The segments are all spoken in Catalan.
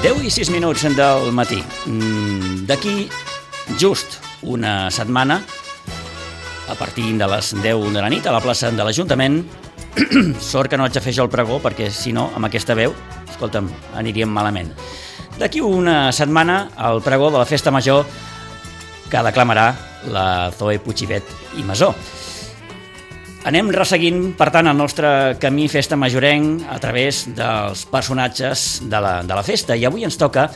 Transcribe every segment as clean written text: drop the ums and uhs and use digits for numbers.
10:06 del matí. D'aquí just una setmana, a partir de les 10 de la nit, a la plaça de l'Ajuntament, sort que no haig de fer jo el pregó, perquè si no, amb aquesta veu, escolta'm, aniríem malament. D'aquí una setmana, el pregó de la Festa Major que declamarà la Zoe Puigibet i Masó. Anem resseguint, per tant, el nostre camí festa majorenc a través dels personatges de la festa. I avui ens toca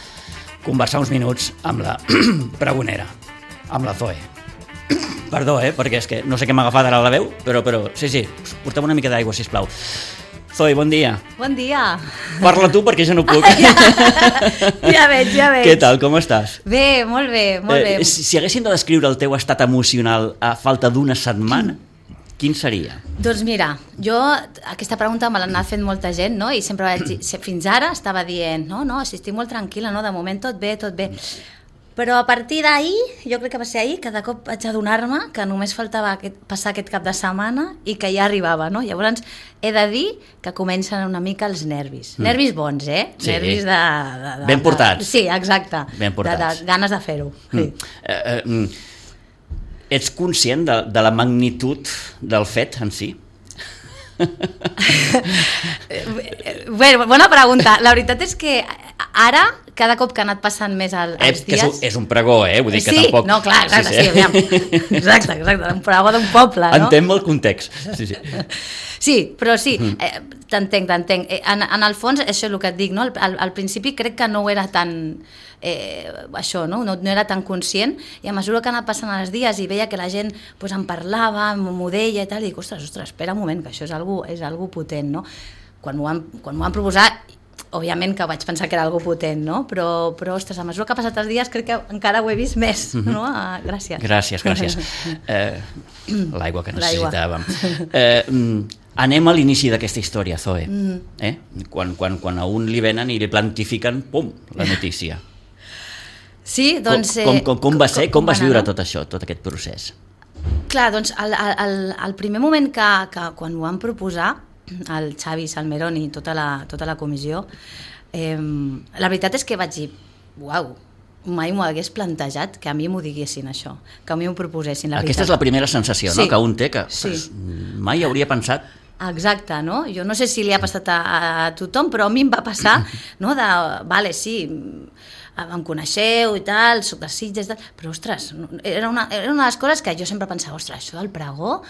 conversar uns minuts amb la pregonera, amb la Zoe. Perdó, perquè és que no sé què m'ha agafat ara la veu, però sí, porta'm una mica d'aigua, sisplau. Zoe, bon dia. Bon dia. Parla tu, perquè jo no puc. Ja veig. Què tal, com estàs? Bé, molt bé. Si haguéssim de descriure el teu estat emocional a falta d'una setmana, quin seria? Doncs mira, jo aquesta pregunta me l'ha anat fent molta gent, no? I sempre fins ara estava dient, no, si estic molt tranquil·la, no? De moment tot bé. Però a partir d'ahir, jo crec que va ser ahir, que de cop vaig adonar-me que només faltava passar aquest cap de setmana i que ja arribava, no? Llavors he de dir que comencen una mica els nervis. Nervis bons, Sí. Nervis de... Ben portats. Sí, exacte. Ben portats. De ganes de fer-ho. Sí. Ets conscient de la magnitud del fet en si? Bé, bona pregunta. La veritat és que ara, cada cop que ha anat passant més els dies... Que és un pregó, vull dir que sí, tampoc... No, clar, sí, aviam. Exacte, un pregó d'un poble, no? Entenc el context, sí. Sí, però sí, t'entenc. En el fons, això és el que et dic, no? Al principi crec que no ho era tan... això, no era tan conscient, i a mesura que ha anat passant els dies i veia que la gent pues, em parlava, m'ho deia i tal, i dic, ostres, espera un moment, que això és algo potent, no? Quan m'ho van proposar, òbviament que vaig pensar que era algo potent, no? Però ostres, a mesura que ha passat els dies crec que encara ho he vist més, no? Gràcies. Gràcies. L'aigua que necessitàvem. Anem a l'inici d'aquesta història, Zoe. Quan a un li venen i li plantifiquen, pum, la notícia. Sí, doncs... Com va ser? Com vas viure tot això, tot aquest procés? Clar, doncs el primer moment que quan ho van proposar, el Xavi Salmerón i tota la comissió, la veritat és que vaig dir, uau, mai m'ho hagués plantejat que a mi m'ho diguessin això, que a mi m'ho proposessin, la veritat. Aquesta és la primera sensació, no?, que un té, que mai hauria pensat. Exacte, no? Jo no sé si li ha passat a tothom, però a mi em va passar, no?, vale, sí, em coneixeu i tal, soc de Sitges, però ostres, era una de les coses que jo sempre pensava, ostres, això del pregó,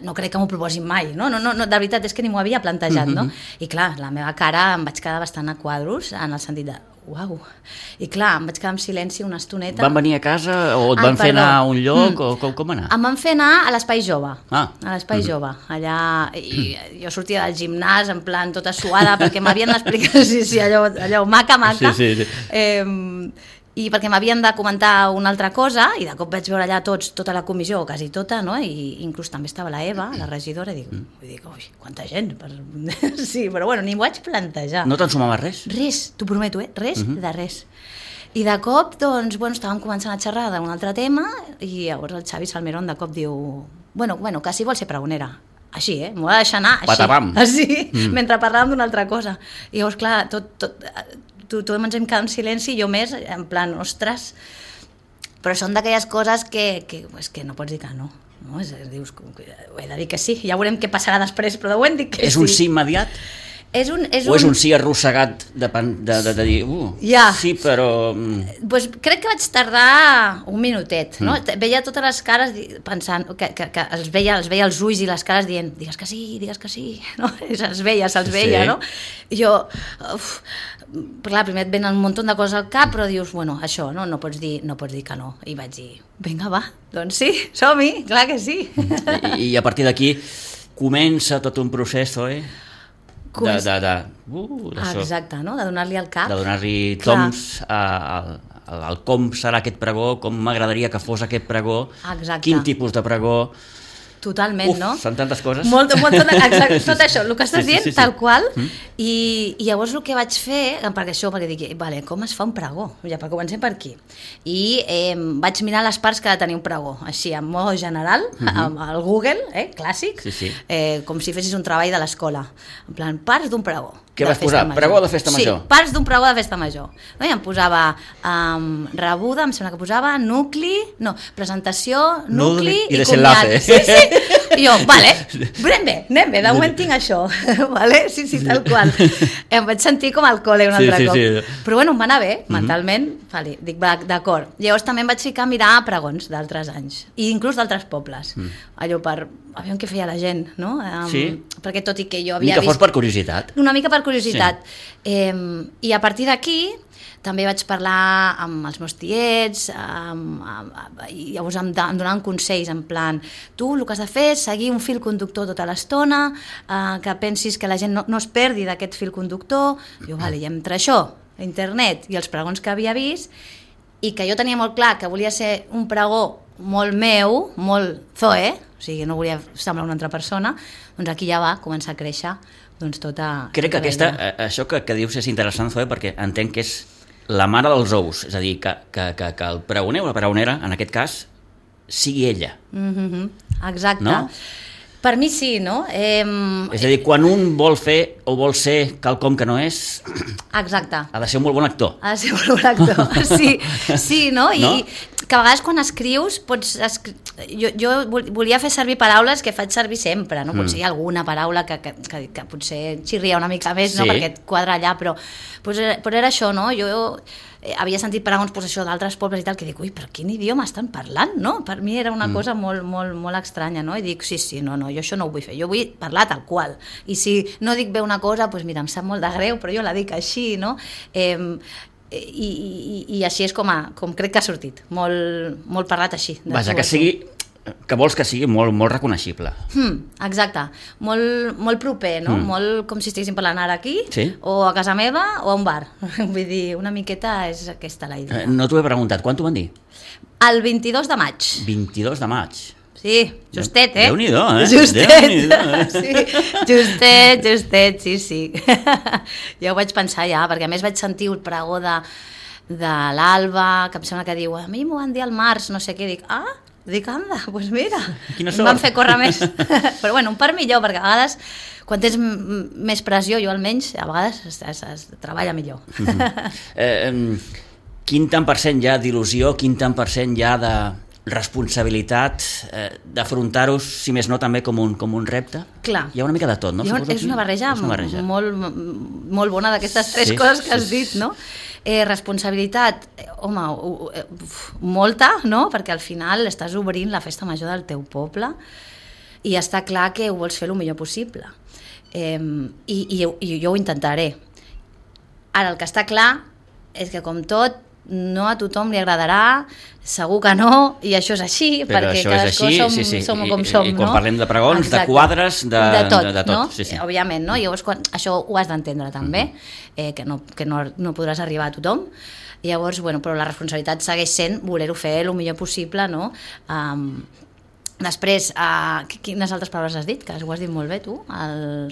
no crec que m'ho proposin mai, no, de veritat és que ni m'ho havia plantejat, no? I clar, la meva cara em vaig quedar bastant a quadros, en el sentit de uau, i clar, em vaig quedar en silenci una estoneta. Van venir a casa o et van fer anar a un lloc o com anar? Em van fer anar a l'Espai Jove, a l'Espai Jove, allà, i jo sortia del gimnàs en plan tota suada perquè m'havien d'explicar, sí, allò maca, sí. I perquè m'havien de comentar una altra cosa, i de cop vaig veure allà tota la comissió, o quasi tota, no? I inclús també estava la Eva, la regidora, i dic, ui, quanta gent! Sí, però bueno, ni m'ho vaig plantejar. No t'ensumava res? Res, t'ho prometo, res de res. I de cop, doncs, estàvem començant a xerrar d'un altre tema, i llavors el Xavi Salmerón de cop diu, bueno, que si vol ser pregonera. Així, m'ho va deixar anar, així. Patapam. Així, mentre parlàvem d'una altra cosa. I llavors, clar, tothom ens hem quedat en silenci, i jo més, en plan, ostres, però són d'aquelles coses que no pots dir que no. Dius, ho he de dir que sí, ja veurem què passarà després, però de moment dic que sí. És un sí immediat? O és un sí arrossegat de dir, sí, però... Pues crec que vaig tardar un minutet, no? Veia totes les cares pensant, que els veia els ulls i les cares dient, digues que sí, no? Se'ls veia, no? I jo, clar, primer et venen un munt de coses al cap, però dius, bueno, això, no pots dir que no. I vaig dir, vinga, va, doncs sí, som-hi, clar que sí. I a partir d'aquí comença tot un procés, exacte, no? De donar-li al cap. De donar-li toms al com serà aquest pregó, com m'agradaria que fos aquest pregó, quin tipus de pregó... Totalment, no? Són tantes coses. Exacte, tot això, el que estàs dient, tal qual. I llavors el que vaig fer, perquè dic, vale, com es fa un pregó? Ja, comencem per aquí. I vaig mirar les parts que ha de tenir un pregó, així, en mode general, al Google, clàssic, com si fessis un treball de l'escola. En plan, parts d'un pregó. Què vas posar? Pregó de festa major? Sí, parts d'un pregó de festa major. No? I em posava rebuda, em sembla que posava presentació, nucli i comiat. Sí. I jo, vale, anem bé, de moment tinc això. Vale? Sí, tal qual. Em vaig sentir com al col·le un altre cop. Sí. Però bueno, em va anar bé, mentalment. Vale, dic, d'acord. Llavors també em vaig ficar a mirar pregons d'altres anys, i inclús d'altres pobles. Allò per aviam què feia la gent, no? Perquè tot i que jo havia vist... Ni que fos per curiositat. Una mica per curiositat. Sí. I a partir d'aquí també vaig parlar amb els meus tiets, i llavors em donaven consells en plan, tu el que has de fer és seguir un fil conductor tota l'estona, que pensis que la gent no es perdi d'aquest fil conductor. Jo, vale, i entre això, internet i els pregons que havia vist, i que jo tenia molt clar que volia ser un pregó molt meu, molt Zoe, o sigui, no volia semblar una altra persona, doncs aquí ja va començar a créixer doncs tota... Crec que això que dius és interessant, Zoe, perquè entenc que és la mare dels ous, és a dir, que el pregoner o la pregonera, en aquest cas, sigui ella. Exacte. No? Per mi sí, no? És a dir, quan un vol fer o vol ser quelcom que no és... Exacte. Ha de ser un molt bon actor. Ha de ser un molt bon actor, sí, no? I que a vegades quan escrius pots... Jo volia fer servir paraules que faig servir sempre, no? Potser hi ha alguna paraula que potser xirria una mica més, no? Perquè et quadra allà, però era això, no? Jo havia sentit pregons d'altres pobles i tal, que dic, ui, però quin idioma estan parlant, no? Per mi era una cosa molt estranya, no? I dic, sí, no, jo això no ho vull fer, jo vull parlar tal qual. I si no dic bé una cosa, doncs mira, em sap molt de greu, però jo la dic així, no? I així és com crec que ha sortit, molt parlat així. Vaja, que vols que sigui molt reconeixible. Exacte, molt proper, no? Molt com si estiguéssim parlant ara aquí, o a casa meva o a un bar. Vull dir, una miqueta és aquesta la idea. No t'ho he preguntat, quan t'ho van dir? El 22 de maig. 22 de maig. Sí, justet, Déu-n'hi-do, Justet, sí. Ja ho vaig pensar perquè a més vaig sentir el pregó de l'Alba, que em sembla que diu, a mi m'ho van dir al març, no sé què, dic, anda, doncs mira, em van fer córrer més. Però bueno, un part millor, perquè a vegades, quan tens més pressió, jo almenys, a vegades es treballa millor. Quin tant per cent hi ha d'il·lusió, quin tant per cent hi ha de responsabilitat, d'afrontar-ho, si més no, també com un repte? Clar. Hi ha una mica de tot, no? És una barreja molt bona d'aquestes tres coses que has dit, no? Responsabilitat, home, molta, no? Perquè al final estàs obrint la festa major del teu poble i està clar que ho vols fer el millor possible. I jo ho intentaré. Ara, el que està clar és que, com tot, no a tothom li agradarà, segur que no, i això és així, però perquè cadascú som com som, i quan parlem de pregons, de quadres, de tot, no? Sí. Òbviament, no? Llavors això ho has d'entendre també, que no podràs arribar a tothom. Llavors, però la responsabilitat segueix sent voler-ho fer el millor possible, no? Després, quines altres paraules has dit? Que ho has dit molt bé, tu.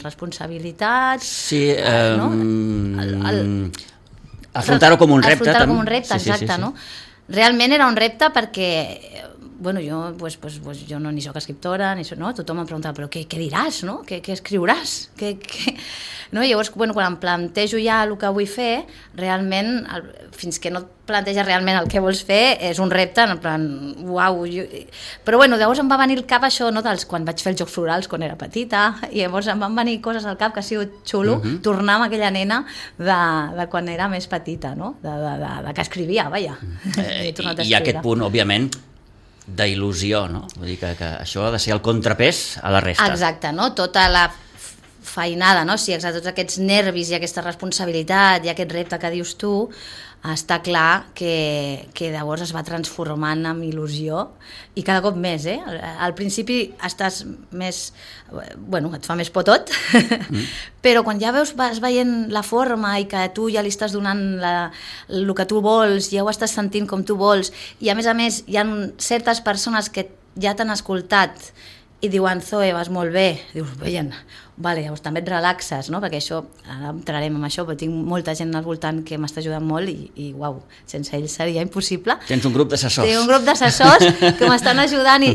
Responsabilitat... Sí, afrontar-ho com un repte. Afrontar-ho com un repte, exacte, no? Realment era un repte perquè, jo no ni soc escriptora, no? Tothom em preguntava, però què diràs, no? Què escriuràs? No? Llavors, quan em plantejo ja el que vull fer, realment, fins que no et planteges realment el que vols fer, és un repte, en plan, uau. Però llavors em va venir al cap això, no? Quan vaig fer els Jocs Florals quan era petita, i llavors em van venir coses al cap que ha sigut xulo, tornar amb aquella nena de quan era més petita, no? De que escrivia, vaja. I aquest punt, òbviament, d'il·lusió, no? Vull dir que això ha de ser el contrapès a la resta. Exacte, no? Tota la feinada, no? Sí, exacte, tots aquests nervis i aquesta responsabilitat i aquest repte que dius tu, està clar que llavors es va transformant en il·lusió i cada cop més, Al principi estàs més... et fa més por tot, però quan ja vas veient la forma i que tu ja li estàs donant el que tu vols, ja ho estàs sentint com tu vols, i a més hi ha certes persones que ja t'han escoltat i diuen, Zoe, vas molt bé. Dius, veient, vale, llavors també et relaxes, no? Perquè això, ara entrarem amb això, però tinc molta gent al voltant que m'està ajudant molt i uau, sense ells seria impossible. Tens un grup d'assessors. Tinc un grup d'assessors que m'estan ajudant i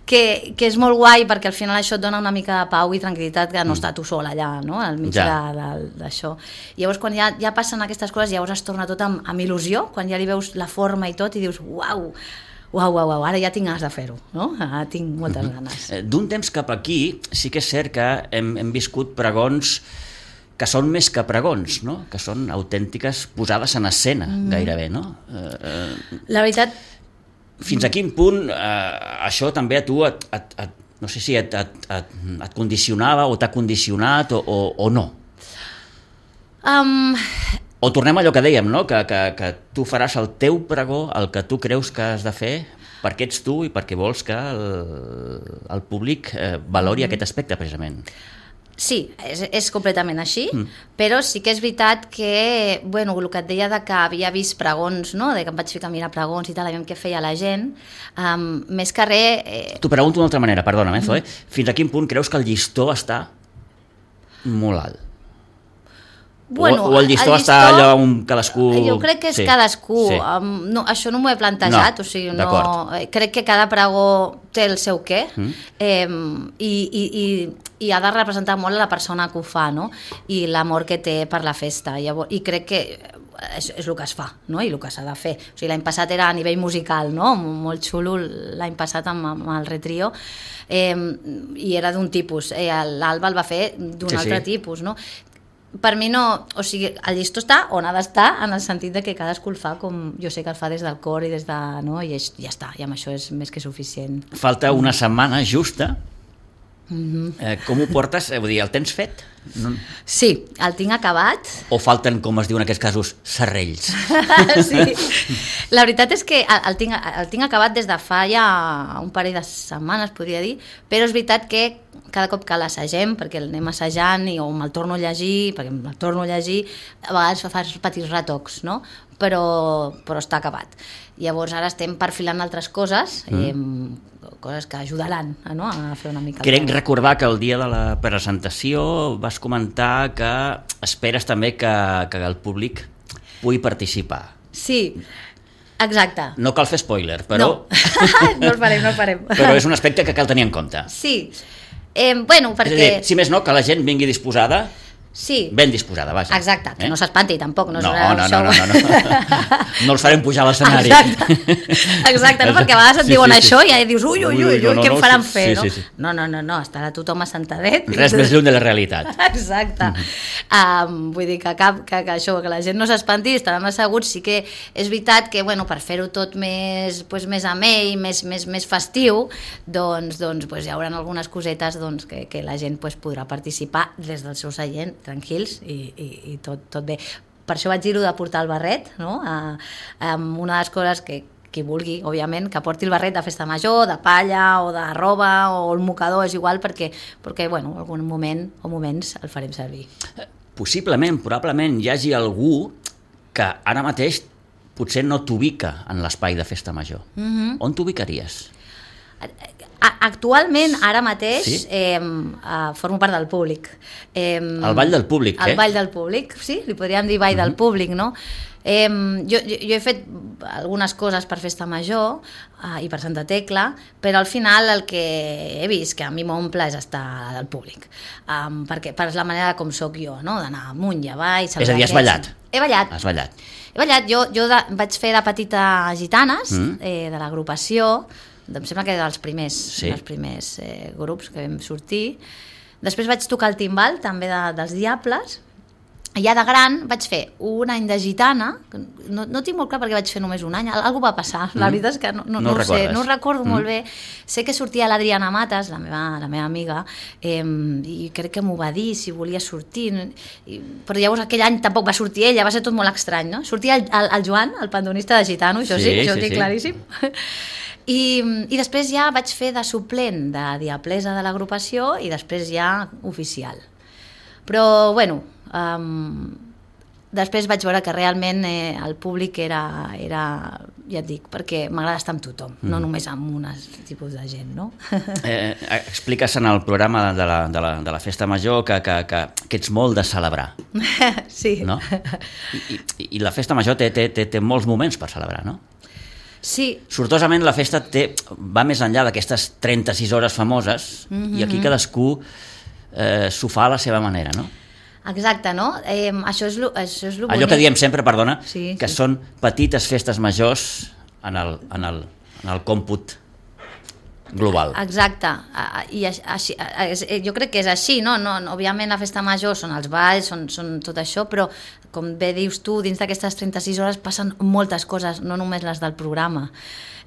que és molt guai perquè al final això et dona una mica de pau i tranquil·litat que no està tu sol allà, no? Al mig d'això. I llavors quan ja passen aquestes coses, llavors es torna tot amb il·lusió, quan ja li veus la forma i tot i dius, uau, ara ja tinc ganes de fer-ho, no? Ara tinc moltes ganes. D'un temps cap aquí sí que és cert que hem viscut pregons que són més que pregons, no? Que són autèntiques posades en escena, gairebé, no? La veritat... Fins a quin punt això també a tu no sé si et condicionava o t'ha condicionat o no? O tornem a allò que dèiem, no? Que tu faràs el teu pregó, el que tu creus que has de fer, perquè ets tu i perquè vols que el públic valori aquest aspecte, precisament. Sí, és completament així, però sí que és veritat que, bueno, el que et deia de que havia vist pregons, no? De que em vaig ficar a mirar pregons i tal, aviam què feia la gent, més que res... T'ho pregunto d'una altra manera, perdona'm, Zoe, fins a quin punt creus que el llistó està molt alt? Bueno, o el llistó està allò on cadascú... Jo crec que és cadascú. Sí. No, això no m'ho he plantejat, o sigui, crec que cada pregó té el seu què i ha de representar molt la persona que ho fa, no? I l'amor que té per la festa. I crec que és el que es fa, no? I el que s'ha de fer. O sigui, l'any passat era a nivell musical, no? Molt xulo l'any passat amb el Retrio, i era d'un tipus. L'Alba el va fer d'un altre tipus, no? Per mi no, o sigui, el llistó està on ha d'estar, en el sentit de que cadascú el fa com jo sé que el fa des del cor i des de... No? I ja està, i amb això és més que suficient. Falta una setmana justa. Com ho portes? Vull dir, el tens fet? No. Sí, el tinc acabat. O falten, com es diu en aquests casos, serrells? Sí, la veritat és que el tinc acabat des de fa ja un parell de setmanes, podria dir, però és veritat que cada cop que l'assagem, perquè l'anem assajant o me'l torno a llegir, perquè me'l torno a llegir, a vegades fas petits retocs, no? Però està acabat. Llavors ara estem perfilant altres coses, coses que ajudaran, no? A fer una mica... Crec recordar que el dia de la presentació vas comentar que esperes també que el públic pugui participar. Sí, exacte. No cal fer spoiler, però... No el farem. Però és un aspecte que cal tenir en compte. Sí, bueno, perquè... És a dir, si més no, que la gent vingui disposada... Sí. Ben disposada, vaja. Exacte, que no s'espanti tampoc. No. No els farem pujar a l'escenari. Exacte, no? Perquè a vegades et diuen això i ja dius ui, què em faran fer, no? No, estarà tothom assentadet. Res més lluny de la realitat. Exacte. Vull dir que això, que la gent no s'espanti, estaran asseguts. Sí que és veritat que, bueno, per fer-ho tot més amè i més festiu, doncs hi haurà algunes cosetes que la gent podrà participar des del seu seient, tranquils i tot bé. Per això vaig dir-ho de portar el barret, no? Una de les coses que qui vulgui, òbviament, que porti el barret de festa major, de palla o de roba o el mocador, és igual, perquè bueno, algun moment o moments el farem servir. Possiblement, probablement hi hagi algú que ara mateix potser no t'ubica en l'espai de festa major. On t'ubicaries? Actualment, ara mateix, formo part del públic. El ball del públic, El ball del públic, sí, li podríem dir ball del públic, no? Jo he fet algunes coses per Festa Major i per Santa Tecla, però al final el que he vist que a mi m'omple és estar al públic, perquè per la manera com soc jo, no? D'anar amunt i avall... És a dir, has ballat? He ballat. Has ballat. He ballat, jo vaig fer de petita Gitanes, de l'agrupació, em sembla que dels primers grups que vam sortir. Després vaig tocar el timbal, també dels Diables, i ja de gran vaig fer un any de gitana, no tinc molt clar perquè vaig fer només un any, algú va passar, la veritat és que no ho sé, no ho recordo molt bé. Sé que sortia l'Adriana Matas, la meva amiga, i crec que m'ho va dir si volia sortir, però llavors aquell any tampoc va sortir ella, va ser tot molt estrany, no? Sortia el Joan, el pandonista de gitano, això sí, ho tinc claríssim. I després ja vaig fer de suplent de diablesa de l'agrupació i després ja oficial. Però, bueno, després vaig veure que realment el públic era, ja et dic, perquè m'agrada estar amb tothom, no només amb un tipus de gent, no? Expliques en el programa de la Festa Major que ets molt de celebrar. Sí. No? I la Festa Major té molts moments per celebrar, no? Sí. Sortosament la festa va més enllà d'aquestes 36 hores famoses i aquí cadascú s'ho fa a la seva manera, no? Exacte, no? Això és lo bonic. Allò que diem sempre, perdona, sí, que són petites festes majors en el còmput global. Exacte, i així, jo crec que és així, no? Òbviament la festa major són els balls, són tot això, però com bé dius tu, dins d'aquestes 36 hores passen moltes coses, no només les del programa.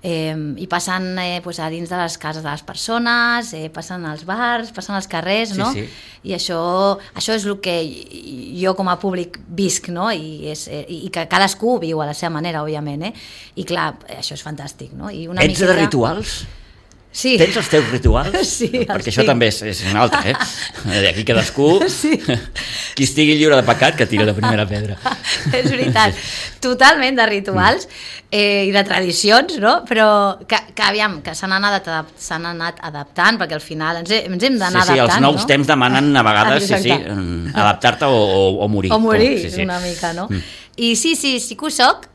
I passen a dins de les cases de les persones, passen als bars, passen als carrers, no? Sí. I això és el que jo com a públic visc, no? I que cadascú viu a la seva manera, òbviament, I clar, això és fantàsc, no? I una Ets de rituals? Sí. Tens els teus rituals? Sí, perquè això també és un altre, Aquí cadascú, sí. Qui estigui lliure de pecat, que tira la primera pedra. És veritat, totalment de rituals i de tradicions, no? Però que aviam, que s'han anat adaptant, perquè al final ens hem d'anar adaptant, els nous temps demanen a vegades adaptar-te o morir. O morir, una mica, no? I sí que ho soc,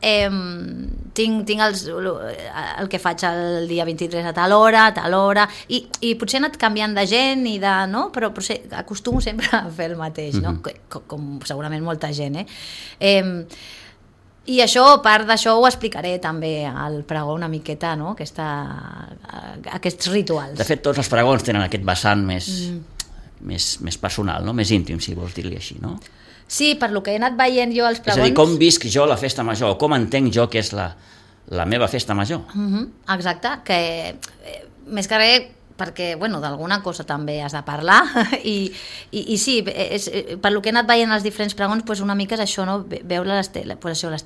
tinc el que faig el dia 23 a tal hora, i potser he anat canviant de gent, no? Però acostumo sempre a fer el mateix, no? Com segurament molta gent, I això, part d'això ho explicaré també al pregó una miqueta, no? Aquests rituals. De fet, tots els pregons tenen aquest vessant més personal, no? Més íntim, si vols dir-li així, no? Sí, per lo que he anat veient jo als pregons... És a dir, com visc jo la festa major, com entenc jo que és la meva festa major. Exacte, que més que res perquè, d'alguna cosa també has de parlar i sí, per lo que he anat veient els diferents pregons, una mica és això, no? Veure les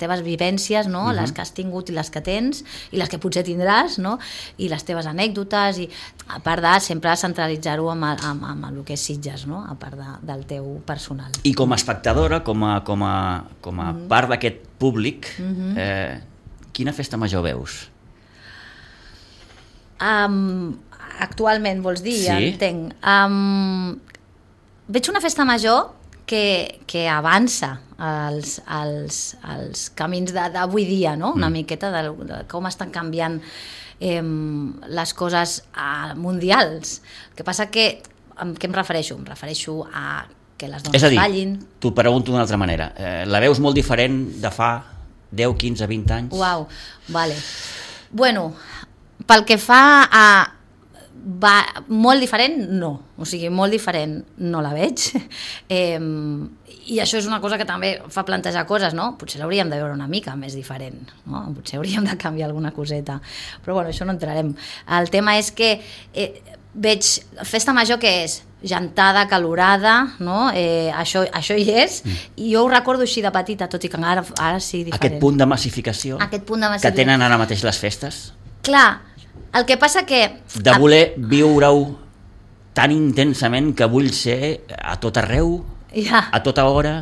teves vivències, no? Les que has tingut i les que tens i les que potser tindràs, no? I les teves anècdotes, i a part de sempre centralitzar-ho amb el que és Sitges, no? A part del teu personal. I com a espectadora, com a part d'aquest públic, quina festa major veus? Actualment, vols dir? Sí. Entenc. Veig una festa major que avança els camins d'avui dia, no? Una miqueta de com estan canviant les coses mundials. El que passa que, a què em refereixo? Em refereixo a que les dones ballin. És a dir, t'ho pregunto d'una altra manera. La veus molt diferent de fa 10, 15, 20 anys? Uau, vale. Bueno, pel que fa a molt diferent, no. O sigui, molt diferent no la veig. I això és una cosa que també fa plantejar coses, no? Potser l'hauríem de veure una mica més diferent, no? Potser hauríem de canviar alguna coseta. Però això no entrarem. El tema és que veig festa major que és gentada, calorada, no? Això hi és, i jo ho recordo així de petita, tot i que ara sí diferent. Aquest punt de massificació que tenen ara mateix les festes? Clar, el que passa que... De voler viure-ho tan intensament que vull ser a tot arreu, a tota hora...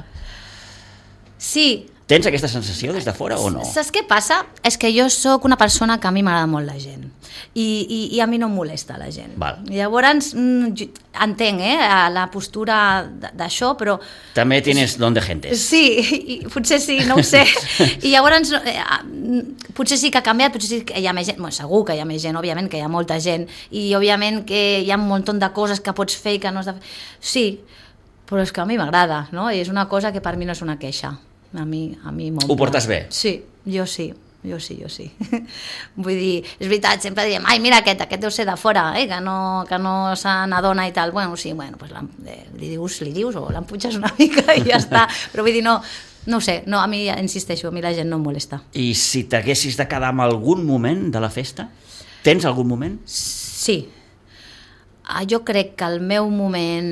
Sí. Tens aquesta sensació des de fora o no? Saps què passa? És que jo sóc una persona que a mi m'agrada molt la gent. I a mi no em molesta la gent. Val. Llavors, entenc la postura d'això, però... També tienes don de gente. Sí, potser sí, no ho sé. I llavors, potser sí que ha canviat, potser sí que hi ha més gent. Segur que hi ha més gent, òbviament que hi ha molta gent, i òbviament que hi ha un munt de coses que pots fer i que no has de fer. Sí, però és que a mi m'agrada, no? I és una cosa que per mi no és una queixa. A mi m'omple. Ho portes bé? Sí, jo sí. Vull dir, és veritat, sempre diem, ai, mira aquest deu ser de fora, que no se n'adona i tal. Sí, pues li dius o l'empuixes una mica i ja està. Però vull dir, no ho sé, a mi, insisteixo, a mi la gent no em molesta. I si t'haguessis de quedar amb algun moment de la festa? Tens algun moment? Sí. Jo crec que el meu moment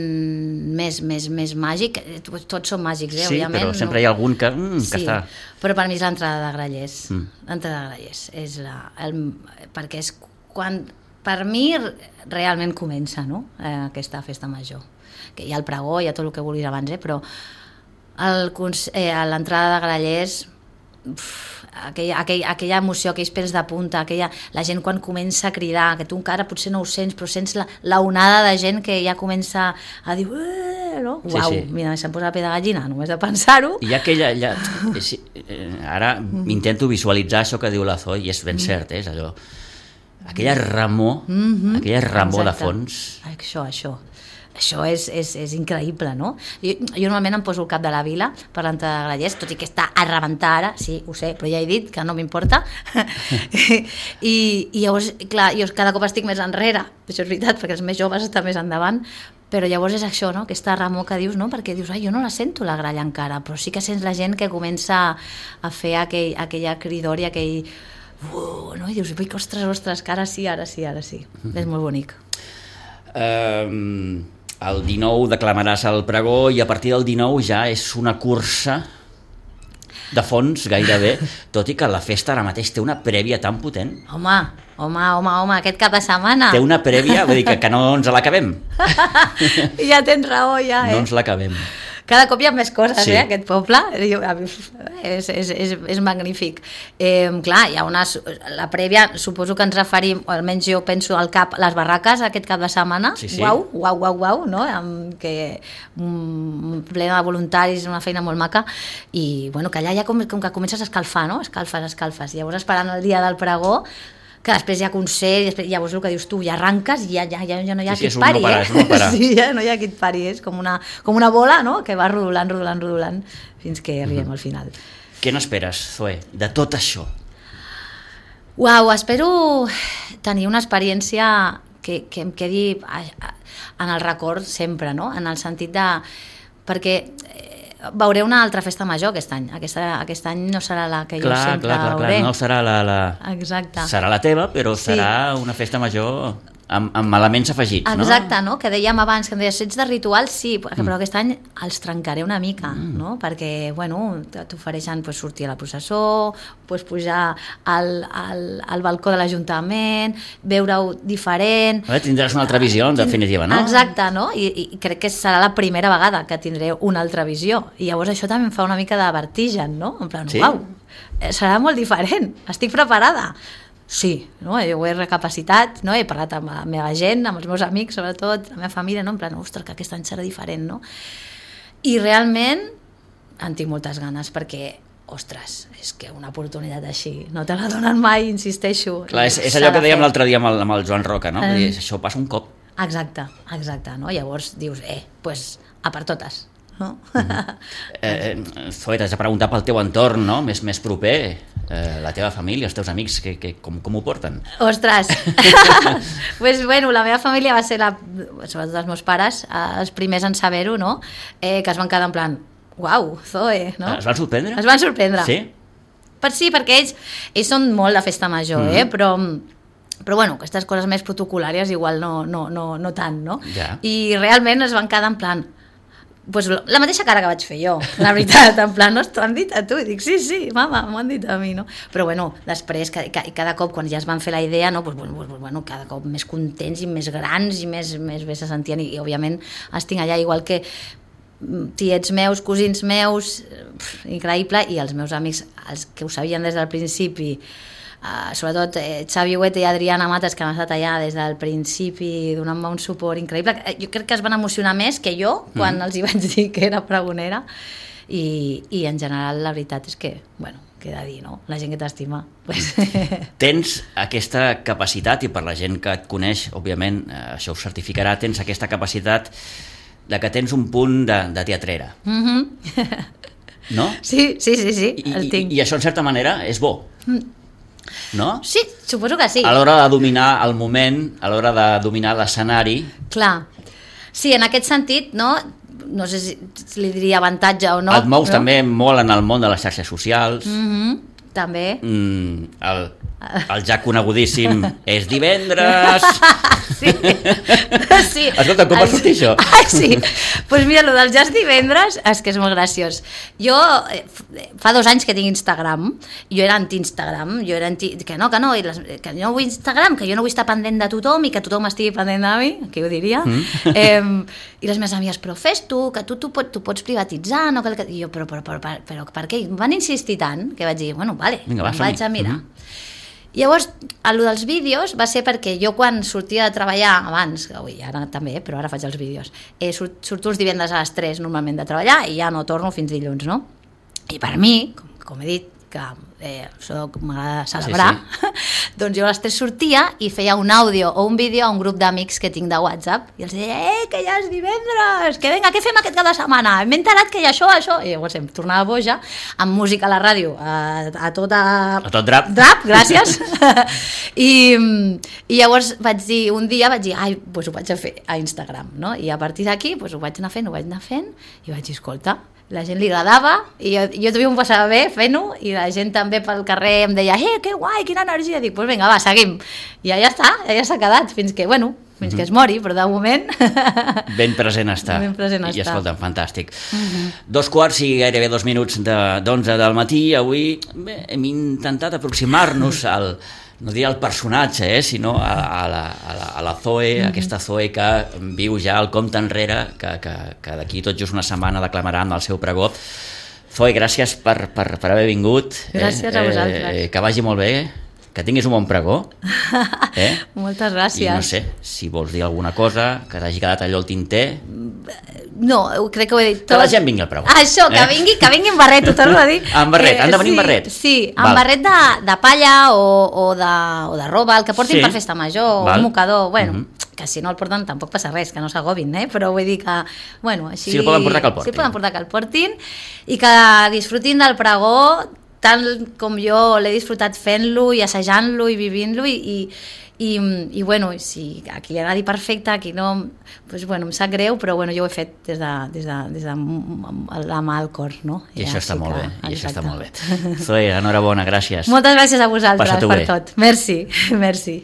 més màgic, tots són màgics, òbviament. Sí, però sempre hi ha algun que està... Però per mi és l'entrada de Grallers. L'entrada de Grallers és perquè és quan per mi realment comença, no? Aquesta festa major. Que hi ha el pregó, hi ha tot el que vulguis abans, però a l'entrada de Grallers, aquella emoció, aquells pèls de punta, la gent quan comença a cridar, que tu encara potser no ho sents, però sents la onada de gent que ja comença a dir no? Uau, sí. Mira, se'm posa la pell de gallina només de pensar-ho. I ara intento visualitzar això que diu la Zoe i és ben cert, és allò, aquella remor de fons. Això és increïble, no? Jo normalment em poso el cap de la vila per l'entrada de Grallers, tot i que està a rebentar ara, sí, ho sé, però ja he dit que no m'importa. I llavors, clar, jo cada cop estic més enrere, això és veritat, perquè els més joves estan més endavant, però llavors és això, no? Aquesta remor que dius, no? Perquè dius, jo no la sento la gralla encara, però sí que sents la gent que comença a fer aquella cridor i aquell... no? I dius, ostres, que ara sí. És molt bonic. El 19 declamaràs el pregó i a partir del 19 ja és una cursa de fons gairebé, tot i que la festa ara mateix té una prèvia tan potent. Home, aquest cap de setmana. Té una prèvia, vull dir que no ens l'acabem. Ja tens raó, ja. No ens l'acabem. Cada cop hi ha més coses, sí. Aquest poble. És magnífic. Clar, hi ha la prèvia, suposo que ens referim, o almenys jo penso al cap, les barraques aquest cap de setmana. Sí. Uau, no? Plena de voluntaris, una feina molt maca. I bueno, que allà ja com que comences a escalfar, no? Escalfes. Llavors esperant el dia del pregó, que després hi ha concert, llavors el que dius tu, ja arranques i ja no hi ha qui et pari, Sí, ja no hi ha qui et pari, és com una bola, no?, que va rodolant, fins que arribem al final. Què n'esperes, Zoe, de tot això? Uau, espero tenir una experiència que em quedi en el record sempre, no?, en el sentit de... perquè veuré una altra festa major aquest any. Aquest any no serà la que jo sempre veuré. No serà Exacte. Serà la teva, però serà una festa major amb elements afegits, no? Exacte, no? Que dèiem abans, que em deies, ets de rituals, sí, però aquest any els trencaré una mica, no? Perquè, bueno, t'ofereixen sortir a la processó, pujar al balcó de l'Ajuntament, veure-ho diferent... Tindràs una altra visió, en definitiva, no? Exacte, no? I crec que serà la primera vegada que tindré una altra visió. I llavors això també em fa una mica de vertigen, no? En plan, uau, serà molt diferent, estic preparada. Sí, no? Jo ho he recapacitat, no? He parlat amb la meva gent, amb els meus amics, sobretot, la meva família, no? En plan, ostres, que aquest any serà diferent, no? I realment en tinc moltes ganes, perquè, ostres, és que una oportunitat així no te la donen mai, insisteixo. Clar, és allò que dèiem l'altre dia amb el Joan Roca, no? Això passa un cop. Exacte, no? Llavors dius, doncs a per totes. No? Zoe, t'has de preguntar pel teu entorn, no? més proper, la teva família, els teus amics, com ho porten? Ostres, pues, bueno, la meva família va ser, sobretot els meus pares, els primers en saber-ho, no? Que es van quedar en plan, uau, Zoe, no? Es van sorprendre? Es van sorprendre. Sí? Sí, perquè ells són molt de festa major, però bueno, aquestes coses més protocolàries igual no tant, no? Ja. I realment es van quedar en plan, pues la mateixa cara que vaig fer jo, la veritat, en plan, no, t'ho han dit a tu? I dic, sí, mama, m'ho han dit a mi, no? Però bueno, després, cada cop, quan ja es van fer la idea, no, bueno, cada cop més contents i més grans i més bé se sentien, i òbviament estic allà igual que tiets meus, cosins meus, increïble, i els meus amics, els que ho sabien des del principi, sobretot Xavi Huete i Adriana Mates, que han estat allà des del principi donant-me un suport increïble. Jo crec que es van emocionar més que jo quan els hi vaig dir que era pregonera, i en general la veritat és que, bueno, queda dir, no? La gent que t'estima. Pues... Tens aquesta capacitat, i per la gent que et coneix, òbviament, això ho certificarà, tens aquesta capacitat de que tens un punt de teatrera. No? Sí, el tinc. I això, en certa manera, és bo. No? Sí, suposo que sí. A l'hora de dominar el moment, a l'hora de dominar l'escenari... Clar. Sí, en aquest sentit, no sé si li diria avantatge o no. Et mous també molt en el món de les xarxes socials. També. El ja conegudíssim és divendres. Sí. Sí. Escolta, com va sortir això? Sí, doncs mira, el del jazz divendres és que és molt graciós. Jo fa 2 anys que tinc Instagram, jo era anti-Instagram, jo era que no, que no vull Instagram, que jo no vull estar pendent de tothom i que tothom estigui pendent de mi, que ho diria. I les meves amigues, però fes tu, que tu pots privatitzar, no cal que... I jo, però per què? Van insistir tant que vaig dir, bueno, vale, vinga, vaig a mirar. Llavors, el dels vídeos va ser perquè jo quan sortia de treballar abans, ara també, però ara faig els vídeos, surto els divendres a les 3 normalment de treballar i ja no torno fins dilluns, no? I per mi, com he dit, que m'agrada celebrar, doncs jo a les 3 sortia i feia un àudio o un vídeo a un grup d'amics que tinc de WhatsApp i els deia, que ja és divendres, que vinga, què fem aquest cap de setmana? M'he enterat que hi ha això. I llavors em tornava boja, amb música a la ràdio, a tot drap. Drap, gràcies. I llavors un dia vaig dir, doncs ho vaig a fer a Instagram, no? I a partir d'aquí ho vaig anar fent i vaig dir, escolta, la gent li agradava i jo també m'ho passava bé fent-ho i la gent també pel carrer em deia que guai, quina energia, dic, doncs vinga, va, seguim i ja està, ja s'ha quedat fins que es mori, però de moment ben present està. I escolta'm, fantàstic. 2:15 i gairebé 2 minuts d'11 del matí. Avui hem intentat aproximar-nos no diria el personatge, sinó a la Zoe, aquesta Zoe que viu ja el compte enrere, que d'aquí tot just una setmana declamarà amb el seu pregó. Zoe, gràcies per haver vingut. Gràcies a vosaltres. Que vagi molt bé, que tinguis un bon pregó. Moltes gràcies. I no sé, si vols dir alguna cosa, que t'hagi quedat allò al tinter... No, crec que ho he dit tot. Que la gent vingui al pregó. Això, que vingui en barret, ho torno a dir. En barret, han de venir en barret? Sí, en barret de palla o de roba, el que portin per festa major, o un mocador, bueno, que si no el porten tampoc passa res, que no s'agobin, però vull dir que, bueno, així... Si el poden portar, que el portin. Si el poden portar, que el portin, i que disfrutin del pregó tant com jo l'he disfrutat fent-lo i assajant-lo i vivint-lo i bueno, si aquí hi ha anat perfecte, aquí no, doncs bueno, em sap greu, però bueno, jo ho he fet des de la mà al cor, no? I això està molt bé, Zoe, enhorabona, gràcies. Moltes gràcies a vosaltres per tot. Merci.